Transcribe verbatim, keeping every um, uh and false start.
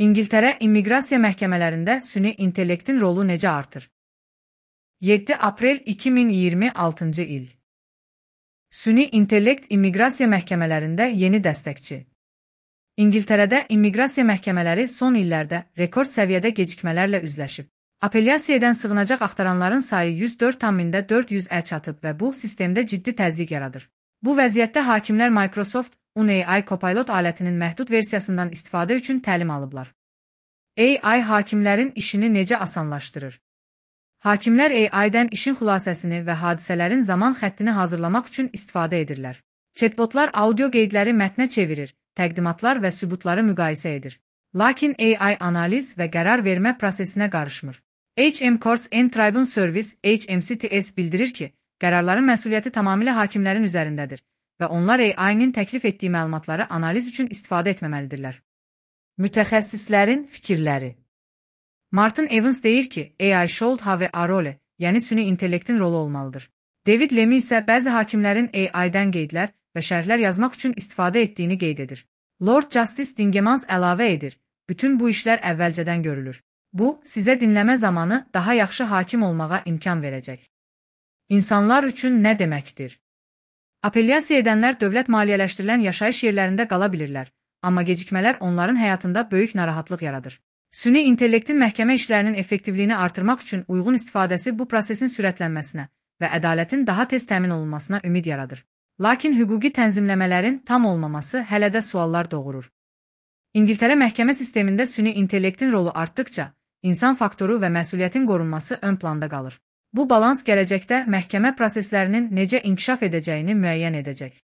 İngiltərə immiqrasiya məhkəmələrində süni intellektin rolu necə artır? yeddi aprel iki min iyirmi altıncı il. Süni intellekt immiqrasiya məhkəmələrində yeni dəstəkçi. İngiltərədə immiqrasiya məhkəmələri son illərdə rekord səviyyədə gecikmələrlə üzləşib. Apellyasiya edən sığınacaq axtaranların sayı yüz dörd min dörd yüzə çatıb və bu sistemdə ciddi təzyiq yaradır. Bu vəziyyətdə hakimlər Microsoft On A I Copilot alətinin məhdud versiyasından istifadə üçün təlim alıblar. A I hakimlərin işini necə asanlaşdırır? Hakimlər A I-dən işin xülasəsini və hadisələrin zaman xəttini hazırlamaq üçün istifadə edirlər. Chatbotlar audio qeydləri mətnə çevirir, təqdimatlar və sübutları müqayisə edir. Lakin A I analiz və qərar vermə prosesinə qarışmır. H M Courts and Tribunal Service H M C T S bildirir ki, qərarların məsuliyyəti tamamilə hakimlərin üzərindədir və onlar A I-nin təklif etdiyi məlumatları analiz üçün istifadə etməməlidirlər. Mütəxəssislərin fikirləri. Martin Evans deyir ki, A I should have a role, yəni süni intellektin rolu olmalıdır. David Lemmy isə bəzi hakimlərin A I-dən qeydlər və şərhlər yazmaq üçün istifadə etdiyini qeyd edir. Lord Justice Dingemans əlavə edir, bütün bu işlər əvvəlcədən görülür. Bu, sizə dinləmə zamanı daha yaxşı hakim olmağa imkan verəcək. İnsanlar üçün nə deməkdir? Apellyasiya edənlər dövlət maliyyələşdirilən yaşayış yerlərində qala bilirlər, amma gecikmələr onların həyatında böyük narahatlıq yaradır. Süni intellektin məhkəmə işlərinin effektivliyini artırmaq üçün uyğun istifadəsi bu prosesin sürətlənməsinə və ədalətin daha tez təmin olunmasına ümid yaradır. Lakin hüquqi tənzimləmələrin tam olmaması hələ də suallar doğurur. İngiltərə məhkəmə sistemində süni intellektin rolu artdıqca, insan faktoru və məsuliyyətin qorunması ön planda qalır. Bu balans gələcəkdə məhkəmə proseslərinin necə inkişaf edəcəyini müəyyən edəcək.